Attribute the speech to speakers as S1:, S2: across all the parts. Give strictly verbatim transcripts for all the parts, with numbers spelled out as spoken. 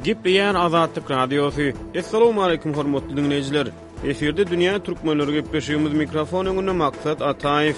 S1: Gepleýär Azatlyk Radiosy. Assalamualaikum hormatly dinleýjiler. Efirde Dünýä Türkmenleri gepleşigimiz mikrofon öňünde Maksat Ataýew.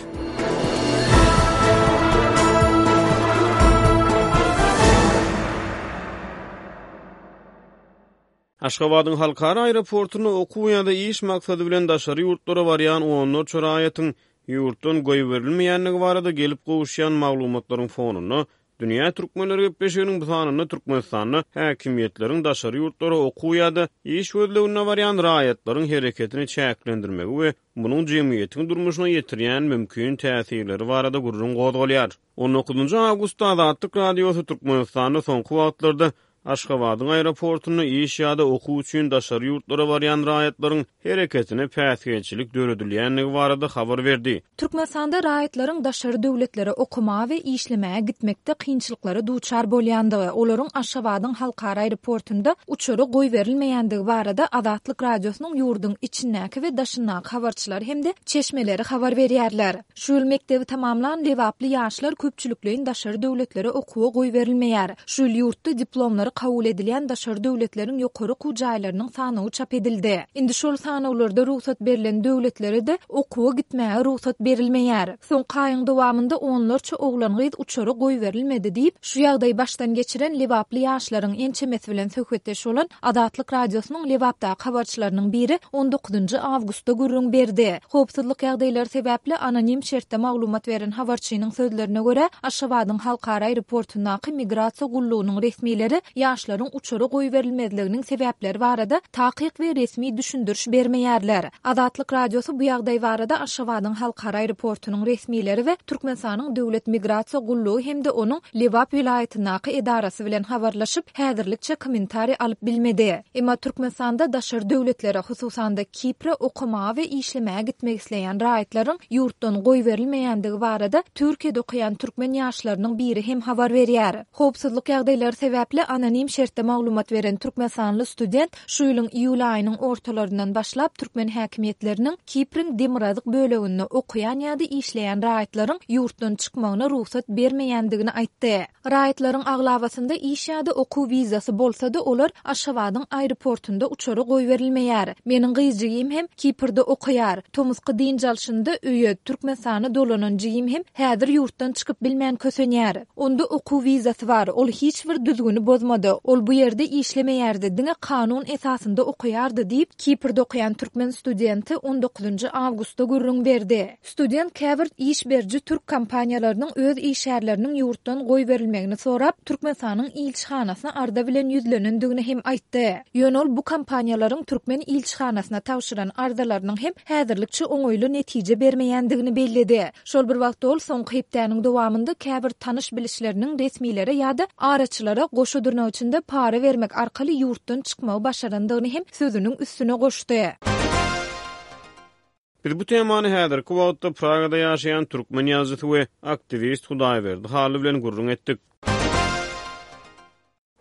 S1: Aşgabadyň halkara aeroportunda okuw ýa-da iş maksady bilen daşary ýurtlara barýan onlarça raýatyň ýurtdan goýberilmeýändigi barada gelip gowuşýan maglumatlaryň fonunda Dünýä Türkmenleri gepleşiginiň bu sanynda Türkmenistanda häkimiýetleriň daşary ýurtlara okuw ýa-da iş gözlegine barýan raýatlaryň hereketini çäklendirmegi we munuň jemgyýetiň durmuşyna ýetirýän mümkin täsirleri barada gürrüň gozgalýar. on dokuzynjy awgustda Azatlyk Radiosy Türkmenistanda soňky wagtlarda Aşgabadyň aeroportunda iş ýa-da okuw üçin daşary ýurtlara barýan raýatlaryň hereketine päsgelçilik döredilýändigi barada habar berdi.
S2: Türkmenistanda raýatlaryň daşary döwletlere okamaga we işlemäge gitmekde kynçylyklara duçar bolýandygy, olaryň Aşgabadyň halkara aeroportunda uçara goýberilmeýändigi barada Azatlyk Radiosynyň ýurduň içindäki we daşyndaky habarçylary hem-de çeşmeleri habar berýärler. Şu ýyl mekdebi tamamlan Lebaply ýaşlar köpçülikleýin daşary döwletlere okuwa goýberilmeýär. Şu ýyl ýurtda diplomlary kabul edilýän daşary döwletleriň ýokary okuw jaýlarynyň sanawy çap edildi. Indi şol sanawlarda rugsat berlen döwletlere-de okuwa gitmäge rugsat berilmeýär. Soňky aýyň dowamynda onlarça oglan-gyz uçara goýberilmedi diýip, şu ýagdaýy başdan geçiren Lebaply ýaşlaryň ençemesi bilen söhbetdeş bolan Azatlyk Radiosynyň Lebapdaky habarçylarynyň biri on dokuzynjy awgustda gürrüň berdi. Howpsuzlyk ýagdaýlary sebäpli anonim şertde maglumat beren habarçynyň sözlerine görä, Aşgabadyň halkara aeroportundaky migrasiýa gullugynyň resmileri ýaşlaryň uçara goýberilmezliginiň sebäpleri barada takyk we resmi düşündiriş bermeýärler. Azatlyk Radiosy bu ýagdaý barada Aşgabadyň halkara aeroportunyň resmileri we Türkmenistanyň Döwlet migrasiýa gullugy hem-de onuň Lebap welaýatyndaky edarasy bilen habarlaşyp, häzirlikçe kommentariý alyp bilmedi. Emma Türkmenistanda daşary döwletlere, hususan-da Kipre okamaga we işlemäge gitmek isleýän raýatlaryň ýurtdan goýberilmeýändigi barada Türkiýede okaýan türkmen ýaşlarynyň biri hem habar berýär. Howpsuzlyk ýagdaýlary sebäpli anonim şertde maglumat beren türkmenistanly student şu ýylyň iýul aýynyň ortalaryndan başlap türkmen häkimiýetleriniň Kipriň demirgazyk böleginde okaýan ýa-da işleýän raýatlaryň ýurtdan çykmagyna rugsat bermeýändigini aýtdy. Raýatlaryň aglabasynda iş ýa-da okuw wizasy bolsa-da olar Aşgabadyň aeroportunda uçara goýberilmeýär. Meniň gyz jigim hem Kiprde okaýar. Tomusky dynç alşynda öýe Türkmenistana dolanan jigim hem häzir ýurtdan çykyp bilmän kösenýär. Onda okuw wizasy bar. Ol hiç bir düzgüni bozmady. Ol bu ýerde işlemeýärdi, diňe kanun esasynda okaýardy diýip, Kiprde okaýan türkmen studenti on dokuzynjy awgustda gürrüň berdi. Student käbir iş beriji türk kompaniýalarynyň öz işgärleriniň ýurtdan goýberilmegini sorap, Türkmenistanyň ilçihanasyna arza bilen ýüzlenendigini hem aýtdy. Ýöne ol bu kompaniýalaryň türkmen ilçihanasyna tabşyran arzalarynyň hem häzirlikçe oňaýly netije bermeýändigini belledi. Şol bir wagtda ol soňky hepdäniň dowamynda käbir tanyş bilişleriniň resmilere ýa-da araçylara goşa dyrnak içinde para bermek arkaly ýurtdan çykmagy başarandygyny hem sözüniň üstüne goşdy.
S1: Biz bu temany häzirki wagtda Pragada ýaşaýan türkmen ýazyjysy we aktiwist Hudaýberdi Hally bilen gürrüň etdik.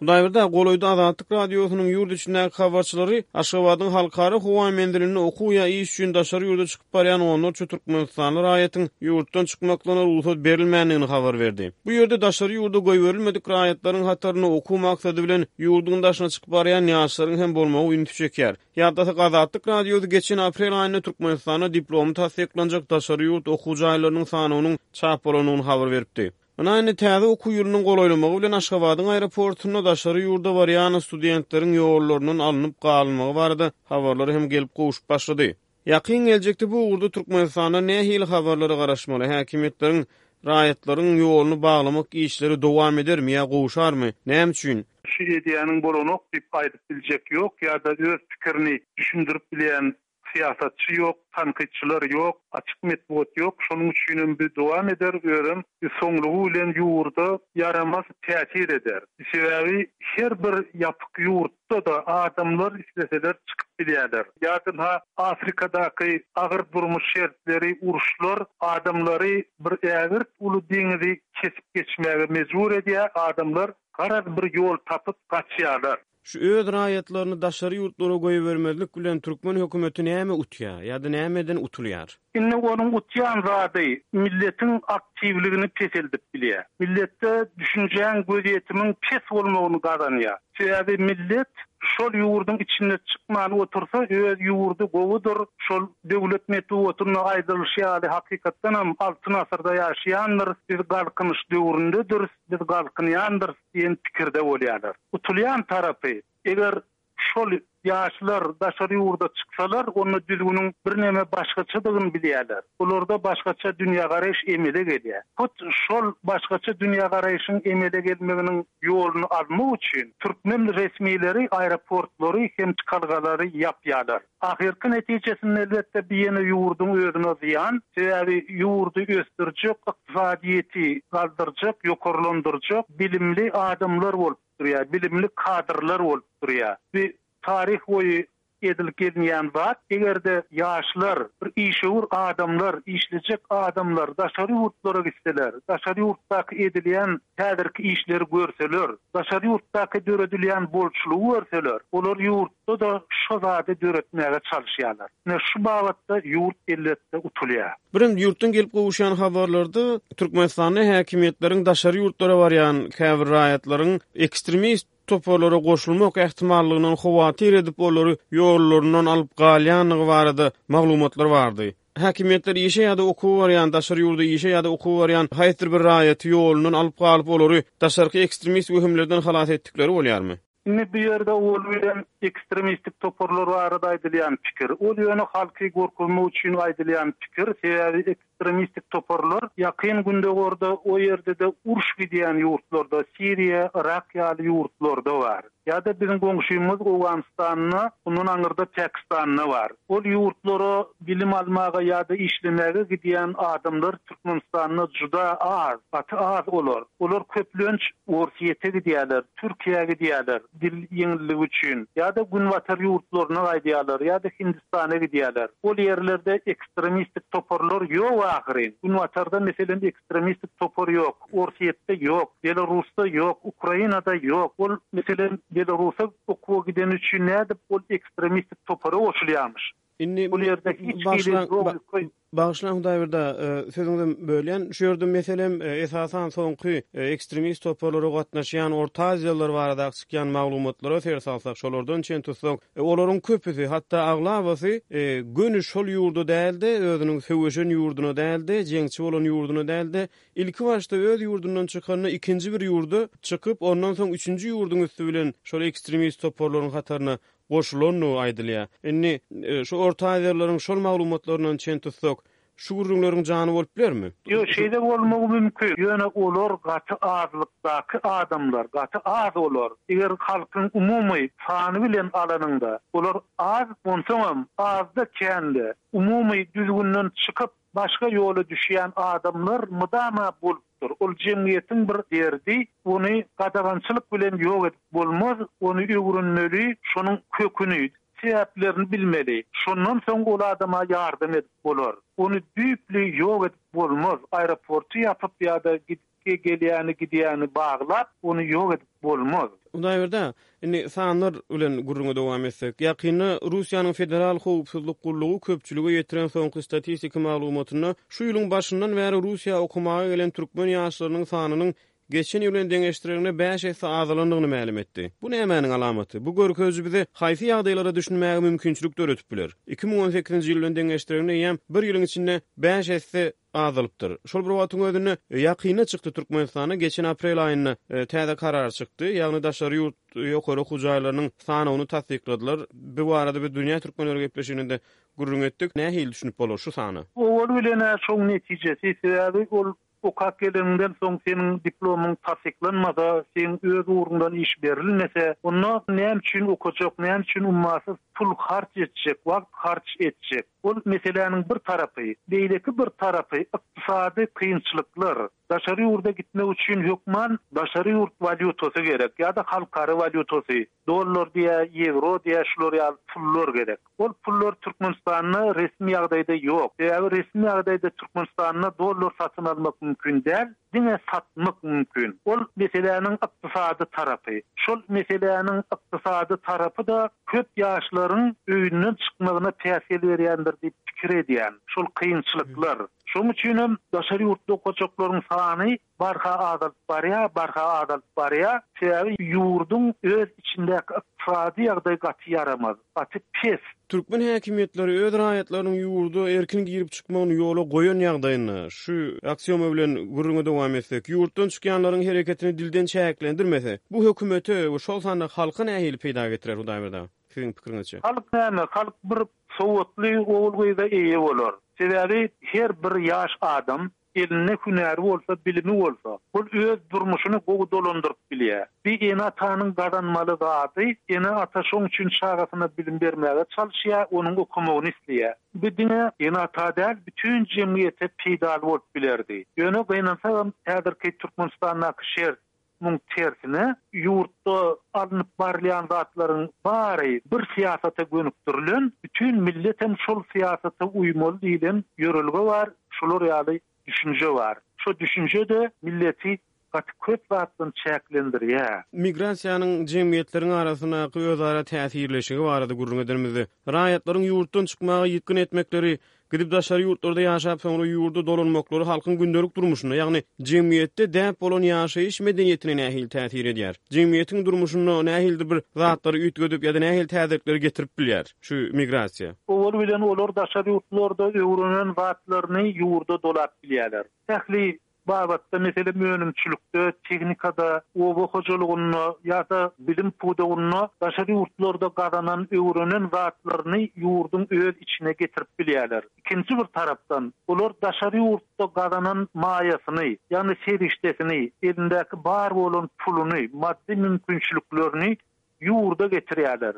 S1: Hudaýberdi, golaýda Azatlyk Radiosynyň ýurt içindäki habarçylary Aşgabadyň halkara howa menzilinde okuw ýa iş üçin daşary ýurda çykyp barýan onlarça türkmenistanly raýatyň ýurtdan çykmaklaryna rugsat berilmändigini habar berdi. Bu ýerde daşary ýurda goýberilmedik raýatlaryň hatarynda okuw maksady bilen ýurduň daşyna çykyp barýan ýaşlaryň hem bolmagy ünsi çekýär. Ýatlasak, Azatlyk Radiosy geçen aprel aýynda Türkmenistanda diplomy tassyklanjak daşary ýurt okuw jaýlarynyň sanynyň çap bolandygyny habar beripdi. Ynha indi täze okuw ýylynyň golaýlamagy bilen Aşgabadyň aeroportunda daşary ýurda barýan studentleriň ýollaryndan alnyp galynmagy barada habarlar hem gelip gowşup başlady. Ýakyn geljekde bu ugurda Türkmenistanda nähili habarlara garaşmaly? Häkimiýetleriň raýatlaryň ýoluny baglamak işleri dowam edermi ýa gowşarmy? Näme üçin?
S3: Şu edýäniň bolanok diýip aýdyp biljek ýok ýa-da öz pikirini düşündirip bilýän syýasatçy ýok, tankytçylar ýok, açyk metbugat ýok. Şonuň üçin hem bir dowam eder, özem soňlugy bilen ýurda ýaramaz täsir eder. Sebäbi her bir ýapyk ýurtda-da adamlar isleseler çykyp bilýärler. Ýa-da ha Afrikadaky agyr durmuş şertleri, uruşlar adamlary bir ägirt uly deňizi kesip geçmäge mejbur edýär. Adamlar garaz bir ýol tapyp gaçýarlar.
S1: Şu öz raýatlaryny daşary ýurtlara goýbermezlik bilen türkmen hökümeti näme utýar ýa-da nämeden utulýar?
S3: Indi onuň utýan zady milletiň aktiwligini peseldip bilýär. Milletde düşünjäň gözýetimiň pes bolmagyny gazanýar. Sebäbi millet şol ýurduň içinde çykman otursa öz ýurdy gowudyr, şol döwlet metbugatynda aýdylyşy ýaly hakykatdanam altyn asyrda ýaşaýandyr, biz galkynyş döwründedir, biz galkynýandyr diýen pikirde bolýarlar. Utulýan tarapy eger şol ýaşlar daşary ýurda çyksalar, onda düzgüniň birneme başgaçadygyny bilýärler. Olarda başgaça dünýägaraýyş emele gelýär. Hut şol başgaça dünýägaraýyşyň emele gelmeginiň ýoluny almak üçin türkmen resmileri aeroportlary hem çykalgalary ýapýarlar. Ahyrky netijesinde elbetde bir ýene ýurduň özüne zyýan, sebäbi ýurdy ösdürjek, ykdysadyýeti galdyrjak, ýokarlandyrjak bilimli adamlar bolup durýar, bilimli kadrlar bolup durýar. Bir tarih boýy edilip gelinýän zat, eger-de ýaşlar, bir işewür adamlar, işlejek adamlar daşary ýurtlara gitseler, daşary ýurtdaky edilýän häzirki işleri görseler, daşary ýurtdaky döredilýän bolçulygy görseler, olar ýurtda-da şo zady döretmäge çalışýarlar. Ine şu babatda ýurt elbetde utulýar.
S1: Birim ýurtdan gelip gowuşýan habarlarda Türkmenistanda häkimiýetleriň daşary ýurtlara barýan käbir raýatlaryň ekstremist toparlara goşulmak ähtimallygyndan howatyr edip olary ýollaryndan alyp galýanlygy barada maglumatlar bardy. Häkimiýetler işe ýa-da okuwa barýan, daşary ýurda işe ýa-da okuwa barýan haýsydyr bir raýaty ýolundan alyp galyp olary daşarky ekstremist wehimlerden halas etdikleri bolýarmy?
S3: Indi bu ýerde ol bilen ekstremistik toparlar barada aýdylýan pikir. Ol ýöne halky gorkuzmak üçin aýdylýan pikir, sebäbi ekstremistik toparlar ýakyn Gündogarda, o ýerde-de uruş gidýän ýurtlarda, Siriýa, Irak ýaly ýurtlarda bar. Ýa-da biziň goňşymyz Owganystanda, ondan aňyrda Pakistanda bar. Ol ýurtlara bilim almaga ýa-da işlemäge gidýän adamlar Türkmenistanda juda az, gaty az olar. Olar köplenç Orsýete gidýärler, Türkiýä gidýärler dil ýeňilligi üçin ýa-da Günbatar ýurtlaryna gaýdýarlar ýa-da Hindistana gidýärler. Ol ýerlerde ekstremistik toparlar ýok ahyryn. Günbatarda meselem ekstremistik topar ýok, Orsýetde ýok, Belarusda ýok, Ukrainada ýok. Ol meselem Belarusa okuwa giden üçin nädip ol ekstremistik topara goşulýarmyş?
S1: Indi
S3: Bu ýerde hiç
S1: başlan-
S3: hili logika
S1: Bagyşlan Hudaýberdi, e, sözüňizi bölýän. Şu ýerde meselem, e, esasan soňky, e, ekstremist toparlara gatnaşýan Orta Aziýalylar barada çykýan maglumatlara ser salsak, şolardan çen tutsak, e, olaryň köpüsi, hatda aglabasy, e, göni şol ýurda dälde, özüniň söweşen ýurduna dälde, jeňçi bolan ýurduna dälde, ilki başda öz ýurdundan çykanda ikinji bir ýurda çykyp, ondan soň üçünji ýurduň üstü bilen şol ekstremist toparlaryň hataryna goşulandygy aýdylýar. Indi, e, şu Orta Aziýalylaryň şol maglumatlaryndan çen tutsak, şu gürrüňleriň jany bolup bilermi?
S3: Ýok, şeýle bolmagy mümkin. Ýöne olar gaty azlykdaky adamlar, gaty az olar. Eger halkyň umumy sany bilen alanyňda, olar az, onsoňam azda kände umumy düzgünden çykyp başga ýola düşýän adamlar mydama bolupdyr. Ol jemgyýetiň bir derdi, ony gadagançylyk bilen ýok edip bolmaz, ony öwrenmeli, şonuň köküni, sebäplerini bilmeli. Şondan soň ol adama ýardam edip bolar. Ony düýpli ýok edip bolmaz. Aeroporty ýapyp ýa-da gidip gelýäni gidýäni baglap, ony ýok edip bolmaz.
S1: Hudaýberdi, indi sanlar bilen gürrüňe dowam etsek, ýakynda Russiýanyň Federal Howpsuzlyk Gullugy köpçülige ýetiren soňky statistik maglumatynda şu ýylyň başyndan bäri Russiýa okumaga gelen türkmen ýaşlarynyň sanynyň geçen ýyl bilen deňeşdirilende bäş esse azalandygyny mälim etdi. Bu nämäniň alamaty? Bu görkeziji bize haýsy ýagdaýlara düşünmäge mümkinçilik döredip biler? iki müň on sekizinji ýyl bilen deňeşdirilende eýýäm bir ýylyň içinde bäş esse azalypdyr. Şol bir wagtyň özünde ýakynda çykdy Türkmenistanda geçen aprel aýynda, e, täze karar çykdy. Ýagny daşary ýurt ýokary okuw jaýlarynyň sanawyny tassykladylar. Bu barada biz Dünýä Türkmenleri gepleşiginde gürrüň etdik. Nähili düşünip bolar şu sana?
S3: Owal bilen şoň netijesi, sebäbi ol okap geleninden soň seniň diplomyň tassyklanmasa, seň öz ugruňdan iş berilmese, onda näme üçin okajak, näme üçin ummasyz Pul harç etjek, wagt harç etjek. Ol meseläniň bir tarapy, beýleki bir tarapy ykdysady kynçylyklar. Daşary ýurda gitmek üçin hökman daşary ýurt walýutasy gerek ýa-da halkara walýutasy, dollar diýä, ýewro diýä, şular ýaly pullar gerek. Ol pullar Türkmenistanda resmi ýagdaýda ýok. Sebäbi resmi ýagdaýda Türkmenistanda dollar satyn almak mümkin däl, diňe satmak mümkin. Ol meseläniň ykdysady tarapy. Şol meseläniň ykdysady tarapy-da köp ýaşlaryň öýünden çykmagyna päsgel berýändir diýip pikir edýän. Şol kynçylyklar. Şonuň üçin hem daşary ýurtda okajaklaryň sany barha azalyp barýar, barha azalyp barýar. Sebäbi ýurduň öz içindäki ykdysady ýagdaý gaty ýaramaz, gaty pes.
S1: Türkmen häkimiýetleri öz raýatlarynyň ýurda erkin girip çykmagyny ýola goýan ýagdaýynda, şu aksioma bilen gürrüňe dowam etsek, ýurtdan çykýanlaryň hereketini dilden çäklendirmese, bu hökümete we şol sanda halka nähili peýda getirer Hudaýberdi aga? Siziň pikiriňizçe?
S3: Halk näme? Halk bir sowatly ogul-gyza eýe bolar. Sebäbi her bir ýaş adam elinde hünäri bolsa, bilimi bolsa, ol öz durmuşyny gowy dolandyryp bilýär. Bir ene-atanyň gazanmaly zady, ene-ata şoň üçin çagasyna bilim bermäge çalyşýar, onuň okamagyny isleýär. Bu diňe ene-ata däl, bütün jemgyýete peýdaly bolup bilerdi. Ýöne gynansagam häzirki Türkmenistandaky şert muň tersine, ýurtda alnyp barylýan zatlaryň bary bir syýasata gönükdirilen, bütün millet hem şol syýasata uýmaly diýlen ýörelge bar, şular ýaly düşünje bar. Şo düşünje de milleti gaty köp zatdan çäklendirýär.
S1: Migrasiýanyň jemgyýetleriň arasyndaky özara täsirleşigi barada gürrüň edenimizde, raýatlaryň ýurtdan çykmaga ýykgyn etmekleri, gidip daşary ýurtlarda ýaşap soňra ýurda dolanmaklary halkyň gündelik durmuşynda, ýagny jemgyýetde däp bolan ýaşaýyş medeniýetine nähili täsir edýär? Jemgyýetiň durmuşynda nähilidir bir zatlary üýtgedip ýa-da nähili täzelikleri getirip bilýär şu migrasiýa?
S3: Owal bilen olar daşary ýurtlarda öwrenen zatlaryny ýurda dolap bilýärler. Ähli babatda, meselem, önümçilikde, tehnikada, oba hojalygynda ýa-da bilim pudagynda daşary ýurtlarda gazanan, öwrenen zatlaryny ýurduň öz içine getirip bilýärler. Ikinji bir tarapdan, olar daşary ýurtda gazanan maýasyny, ýagny serişdesini, elindäki bar bolan puluny, maddy mümkinçiliklerini ýurda getirýärler.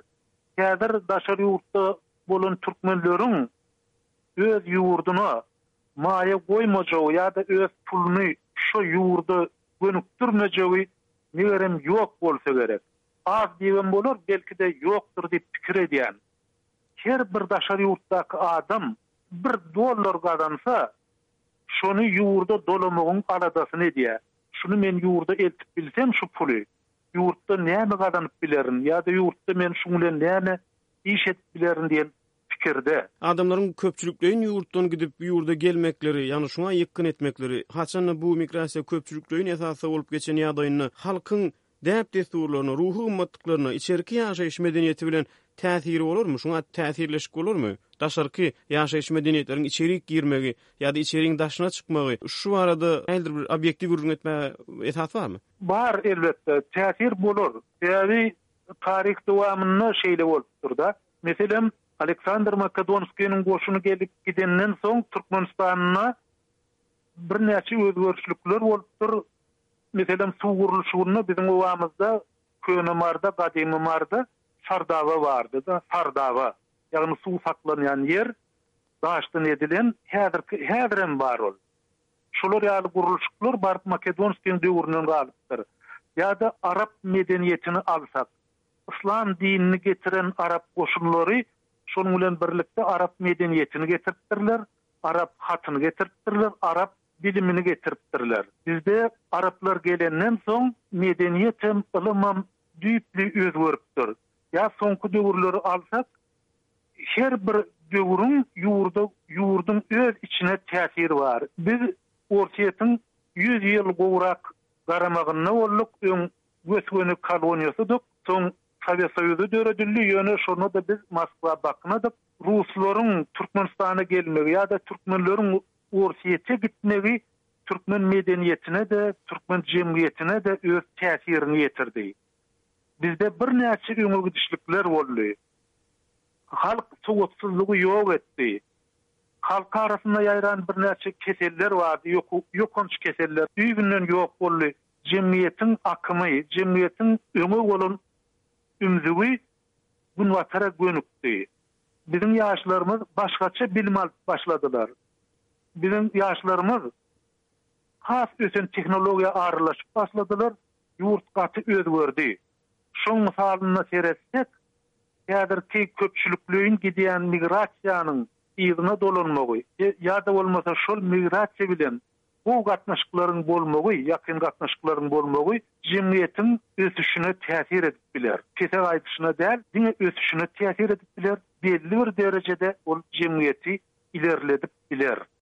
S3: Häzir daşary ýurtda bolan türkmenleriň öz ýurduna maýa goýmajagy ýa-da öz puluny şo ýurda gönükdirmejegi megerem ýok bolsa gerek. Az diýibem bolar, belki-de ýokdur diýip pikir edýän. Her bir daşary ýurtdaky adam bir dollar gazansa, şony ýurda dolamagyň aladasyny edýär. Şuny men ýurda eltip bilsem şu puly, ýurtda näme gazanyp bilerin ýa-da ýurtda men şuň bilen näme iş edip bilerin diýen pikirde.
S1: Adamlaryň köpçülikleýin ýurtdan gidip ýurda gelmekleri, ýagny şuňa ýykgyn etmekleri, haçanda bu migrasiýa köpçülikleýin esasda bolup geçen ýagdaýynda halkyň däp-dessurlaryna, ruhy gymmatlyklaryna, içerki ýaşaýyş medeniýeti bilen täsiri bolarmy? Şuňa täsirleşik bolarmy? Daşarky ýaşaýyş medeniýetleriň içerik girmegi ýa-da içeriň daşyna çykmagy, şu barada nähilidir bir obýektiw gürrüň etmäge esas barmy?
S3: Bar elbetde, täsir bolar. Sebäbi taryh dowamynda şeýle bolupdyr-da. Meselem, Aleksandr Makedonskiniň goşuny gelip gidenden soň Türkmenistanda birnäçe özgerişlikler bolupdyr. Meselem, suw gurluşygynda biziň obamyzda Köne Marda, Gadymy Marda Sardaba bardy-da, Sardaba, ýagny suw saklanýan ýer daşdan edilen, häzirki häzirem bar ol. Şolar ýaly gurluşyklar baryp Makedonskiniň döwründen galypdyr. Ýa-da arap medeniýetini alsak, islam dinini getiren arap goşunlary şonuň bilen birlikde arap medeniýetini getiripdirler, arap hatyny getiripdirler, arap bilimini getiripdirler. Bizde araplar gelenden soň medeniýet hem ylym hem düýpli özgeripdir. Ýa soňky döwürleri alsak, her bir döwrüň ýurda, ýurduň öz içine täsiri bar. Biz Orsýetiň ýüz ýyl gowrak garamagynda bolduk, öň gös-göni koloniýasydyk, soň Sowet Soýuzy döredildi, ýöne şonda-da biz Moskwa baknadyk. Ruslaryň Türkmenistana gelmegi ýa-da türkmenleriň Orsýete gitmegi türkmen medeniýetine-de, türkmen jemgyýetine-de öz täsirini ýetirdi. Bizde birnäçe öňe gidişlikler boldy. Halk sowatsyzlygy ýok etdi. Halk arasynda ýaýran birnäçe keseller bardy, ýok, ýokanç keseller düýbünden ýok boldy. Jemgyýetiň akymy, jemgyýetiň öňe bolan ümzügi Günbatara gönükdi. Biziň ýaşlarymyz başgaça bilim alyp başladylar. Biziň ýaşlarymyz has ösen tehnologiýa aralaşyp başladylar. Ýurt gaty özgerdi. Şoň mysalynda seretsek, häzirki köpçülikleýin gidýän migrasiýanyň yzyna dolanmagy ýa-da bolmasa şol migrasiýa bilen bu gatnaşyklaryň bolmagy, ýakyn gatnaşyklaryň bolmagy jemgyýetiň ösüşine täsir edip biler. Pese gaýdyşyna däl, diňe ösüşine täsir edip biler. Belli bir derejede ol jemgyýeti ilerledip biler.